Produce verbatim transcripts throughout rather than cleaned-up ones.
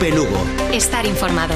Cope Lugo. Estar informado.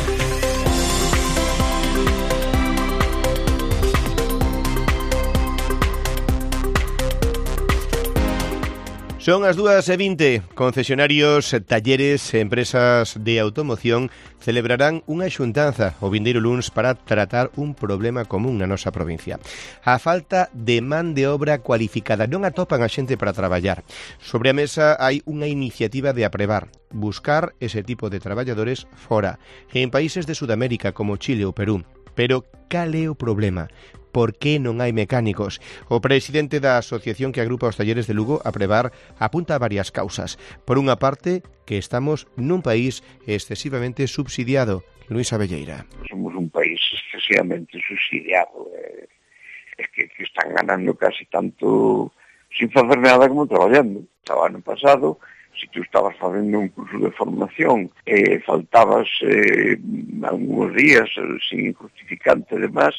Son as dúas e vinte. Concesionarios, talleres e empresas de automoción celebrarán unha xuntanza o vindeiro luns para tratar un problema común na nosa provincia. A falta de man de obra cualificada. Non atopan a xente para traballar. Sobre a mesa hai unha iniciativa de aprebar, buscar ese tipo de traballadores fora, en países de Sudamérica como Chile ou Perú. Pero cal é o problema? Por que non hai mecánicos? O presidente da asociación que agrupa os talleres de Lugo, Aprebar, apunta a varias causas. Por unha parte, que estamos nun país excesivamente subsidiado. Luis Abelleira. Somos un país excesivamente subsidiado. Eh, es que, que están ganando casi tanto sin facer nada como traballando. O ano pasado, se tú estabas facendo un curso de formación e eh, faltabas eh, algúns días eh, sin justificante de más,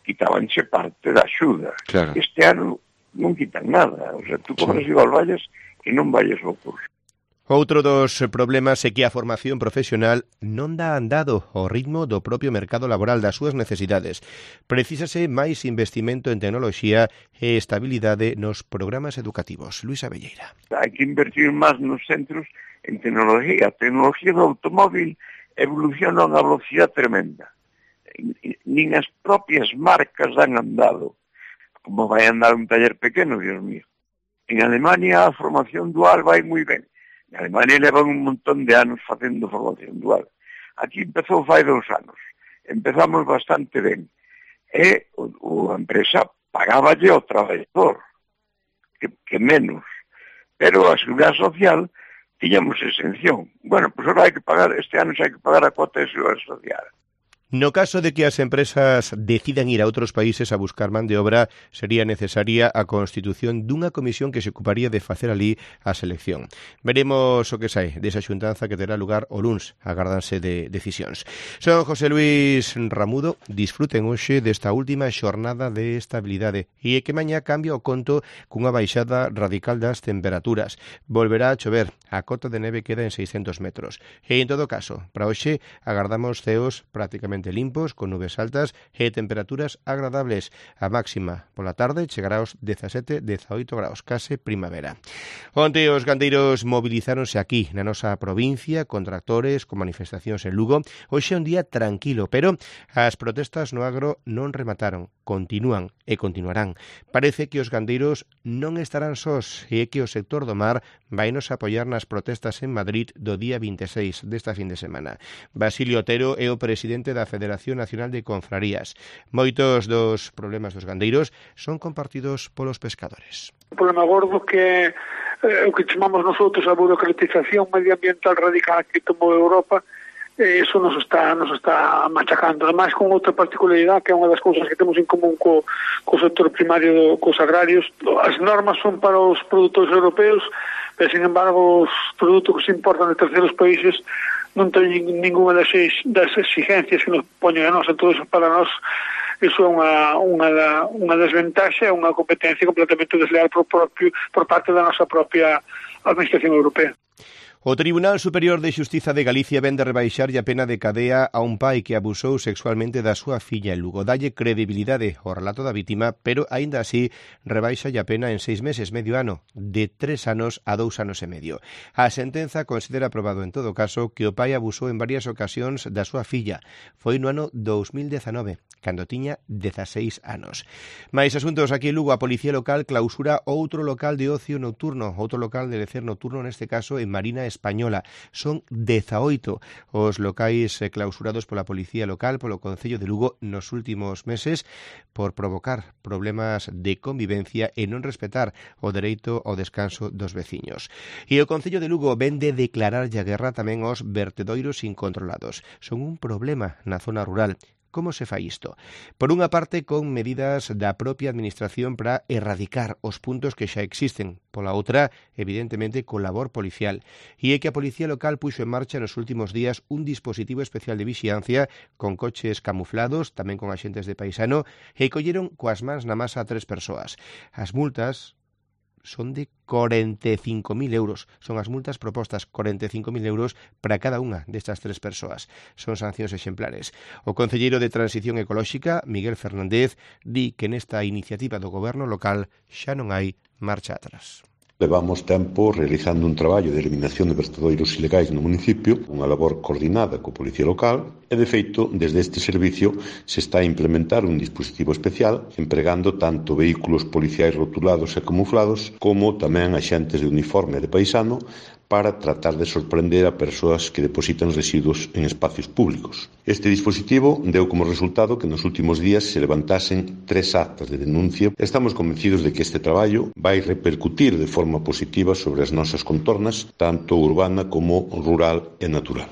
quitabanche parte da axuda. Claro. Este ano non quitan nada. O sea, tú cobras sí. igual vallas e non valles ao curso. Outro dos problemas é que a formación profesional non dá andado ao ritmo do propio mercado laboral, das súas necesidades. Precísase máis investimento en tecnoloxía e estabilidade nos programas educativos. Luis Abelleira. Hai que invertir máis nos centros en tecnología. A tecnología do automóvil evoluciona a unha velocidade tremenda. Nin as propias marcas dan andado. Como vai andar un taller pequeno, Dios mío. En Alemania a formación dual vai moi ben. En Alemania levan un montón de anos facendo formación dual. Aquí empezou fai dos anos. Empezamos bastante ben. E o, o a empresa pagáballe ao traballador, que, que menos. Pero a Seguridade Social tiñamos exención. Bueno, pois pues ahora hai que pagar, este ano xa hai que pagar a cuota de Seguridade Social. No caso de que as empresas decidan ir a outros países a buscar man de obra, sería necesaria a constitución dunha comisión que se ocuparía de facer ali a selección. Veremos o que sae desa xuntanza que terá lugar o luns, agárdanse de decisións. Son José Luis Ramudo, disfruten hoxe desta última xornada de estabilidade e que mañá cambia o conto cunha baixada radical das temperaturas. Volverá a chover, a cota de neve queda en seiscentos metros. E en todo caso, para hoxe agardamos ceos prácticamente limpos, con nubes altas e temperaturas agradables. A máxima pola tarde chegará aos dezasete, dezaoito graus, case primavera. Onte os gandeiros movilizáronse aquí, na nosa provincia, con tractores, con manifestacións en Lugo. Hoxe é un día tranquilo, pero as protestas no agro non remataron, continúan e continuarán. Parece que os gandeiros non estarán sós e que o sector do mar vai nos apoiar nas protestas en Madrid do día vinte e seis desta fin de semana. Basilio Otero é o presidente da Federación Nacional de Confrarías. Moitos dos problemas dos gandeiros son compartidos polos pescadores. O problema gordo que é eh, o que chamamos nosotros a burocratización medioambiental radical que tomou Europa, eh, eso nos está nos está machacando. Ademais, con outra particularidade que é unha das cousas que temos en común co, co sector primario, do, cos agrarios, as normas son para os produtores europeos, pero, sin embargo, os produtos que se importan de terceiros países non teñen ninguna das, das exigencias que nos poñen a nós. Entón, para nós, iso é unha, unha, da, unha desventaxa, unha competencia completamente desleal por, propio, por parte da nosa propia Administración Europea. O Tribunal Superior de Xustiza de Galicia vende rebaixarlle a pena de cadea a un pai que abusou sexualmente da súa filla en Lugo. Dalle credibilidade ao relato da vítima, pero aínda así rebaixa a pena en seis meses, medio ano, de tres anos a dous anos e medio. A sentenza considera aprobado en todo caso que o pai abusou en varias ocasións da súa filla. Foi no ano dous mil dezanove, cando tiña dezaseis anos. Mais asuntos aquí en Lugo, a Policía Local clausura outro local de ocio nocturno, outro local de lecer nocturno, neste caso en Marina Española. Son dezaoito os locais clausurados pola Policía Local, polo Concello de Lugo nos últimos meses por provocar problemas de convivencia e non respetar o dereito ao descanso dos veciños. E o Concello de Lugo vende declarar a guerra tamén aos vertedoiros incontrolados. Son un problema na zona rural. Como se fai isto? Por unha parte, con medidas da propia Administración para erradicar os puntos que xa existen. Pola outra, evidentemente, con labor policial. E é que a Policía Local puxo en marcha nos últimos días un dispositivo especial de vixiancia con coches camuflados, tamén con axentes de paisano, e colleron coas mans na masa a tres persoas. As multas son de cuarenta y cinco mil euros. Son as multas propostas, cuarenta y cinco mil euros para cada unha destas tres persoas. Son sancións exemplares. O concelleiro de Transición Ecolóxica, Miguel Fernández, di que nesta iniciativa do goberno local xa non hai marcha atrás. Levamos tempo realizando un traballo de eliminación de vertedoiros ilegais no municipio, unha labor coordinada coa Policía Local, e de feito, desde este servicio se está a implementar un dispositivo especial empregando tanto vehículos policiais rotulados e camuflados como tamén axentes de uniforme de paisano para tratar de sorprender a persoas que depositan residuos en espacios públicos. Este dispositivo deu como resultado que nos últimos días se levantasen tres actas de denuncia. Estamos convencidos de que este traballo vai repercutir de forma positiva sobre as nosas contornas, tanto urbana como rural e natural.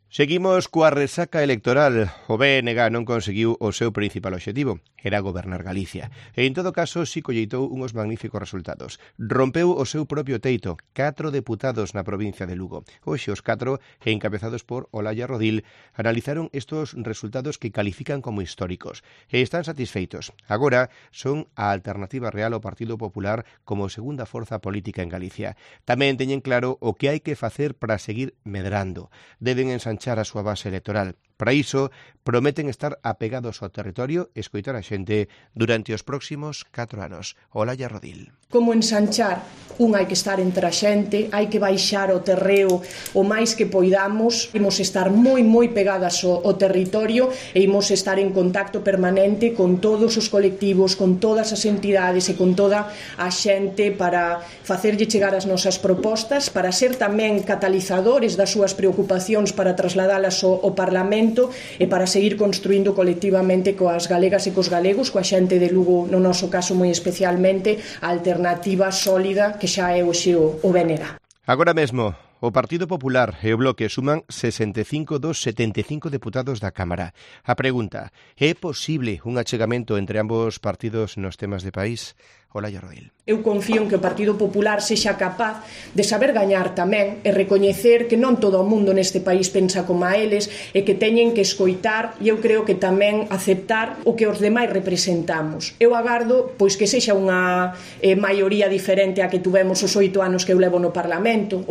Seguimos coa resaca electoral. O B N G non conseguiu o seu principal obxectivo, era gobernar Galicia. E, en todo caso, si colleitou uns magníficos resultados. Rompeu o seu propio teito, catro deputados na provincia de Lugo. Hoxe os catro, encabezados por Olalla Rodil, analizaron estos resultados que califican como históricos. E están satisfeitos. Agora son a alternativa real ao Partido Popular como segunda forza política en Galicia. Tamén teñen claro o que hai que facer para seguir medrando. Deben ensanchar a súa base electoral. Para iso, prometen estar apegados ao territorio e escoitar a xente durante os próximos catro anos. Olalla Rodil. Como ensanchar? Un, hai que estar entre a xente, hai que baixar o terreo o máis que poidamos, imos estar moi, moi pegadas ao, ao territorio e imos estar en contacto permanente con todos os colectivos, con todas as entidades e con toda a xente para facerlle chegar as nosas propostas, para ser tamén catalizadores das súas preocupacións, para trasladalas ao, ao Parlamento e para seguir construindo colectivamente coas galegas e cos galegos, coa xente de Lugo, no noso caso moi especialmente, a alternativa sólida que xa é hoxe o, o B N G. Agora mesmo, o Partido Popular e o Bloque suman sesenta e cinco dos setenta e cinco deputados da Cámara. A pregunta, é posible un achegamento entre ambos partidos nos temas de país? Olalla Rodil. Eu confío en que o Partido Popular sexa capaz de saber gañar tamén e recoñecer que non todo o mundo neste país pensa como a eles e que teñen que escoitar e eu creo que tamén aceptar o que os demais representamos. Eu agardo pois que sexa unha eh, maioría diferente a que tuvemos os oito anos que eu levo no Parlamento.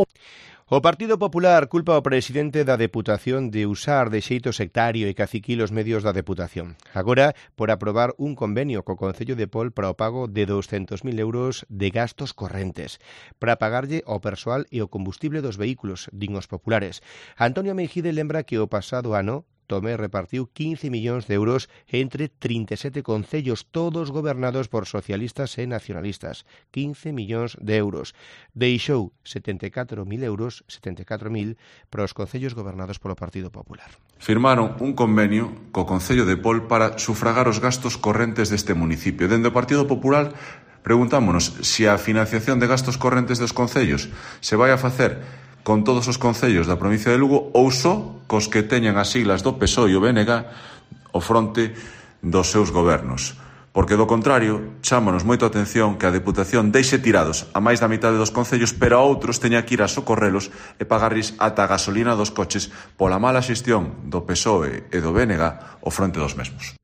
O Partido Popular culpa ao presidente da Deputación de usar de xeito sectario e caciquil os medios da Deputación. Agora, por aprobar un convenio co Concello de Pol para o pago de douscentos mil euros de gastos correntes, para pagarlle ao persoal e o combustible dos vehículos, din os populares. Antonio Meijide lembra que o pasado ano Tomé repartiu quince millóns de euros entre trinta e sete concellos, todos gobernados por socialistas e nacionalistas. quince millóns de euros. Deixou setenta e catro mil euros, setenta e catro mil, para os concellos gobernados polo Partido Popular. Firmaron un convenio co Concello de Pol para sufragar os gastos correntes deste municipio. Dende o Partido Popular preguntámonos se a financiación de gastos correntes dos concellos se vai a facer con todos os concellos da provincia de Lugo ou só cos que teñan as siglas do P S O E e o B N G ao fronte dos seus gobernos. Porque, do contrario, chámonos moito a atención que a Deputación deixe tirados a máis da mitade dos concellos, pero a outros teña que ir a socorrelos e pagarles ata a gasolina dos coches pola mala xestión do P S O E e do B N G ao fronte dos mesmos.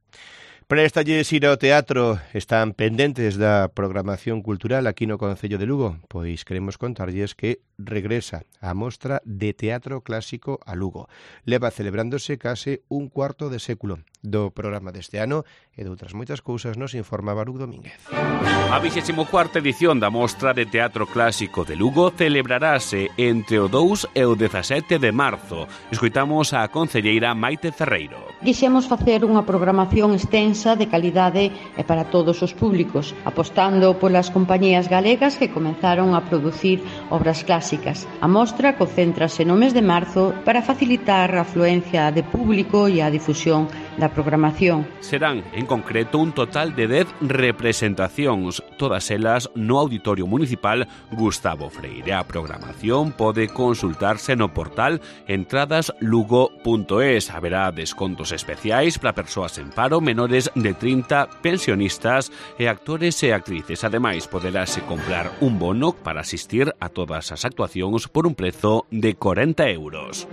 Préstalles ir ao teatro, están pendentes da programación cultural aquí no Concello de Lugo, pois queremos contarlles que regresa a mostra de teatro clásico a Lugo. Leva celebrándose case un cuarto de século. Do programa deste ano e de outras moitas cousas nos informa Baruch Domínguez. A vixésima cuarta edición da Mostra de Teatro Clásico de Lugo celebrarase entre o dous e o dezasete de marzo. Escoitamos a concelleira Maite Ferreiro. Quixemos facer unha programación extensa de calidade e para todos os públicos, apostando polas compañías galegas que comenzaron a producir obras clásicas. A mostra concéntrase no mes de marzo para facilitar a afluencia de público e a difusión da programación. Serán, en concreto, un total de dez representacións, todas elas no Auditorio Municipal Gustavo Freire. A programación pode consultarse no portal entradas lugo punto es. Haberá descontos especiais para persoas en paro, menores de trinta, pensionistas e actores e actrices. Ademais, poderase comprar un bono para asistir a todas as actuacións por un prezo de corenta euros.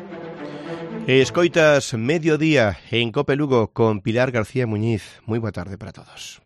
Escoitas Mediodía en Cope Lugo con Pilar García Muñiz. Moi boa tarde para todos.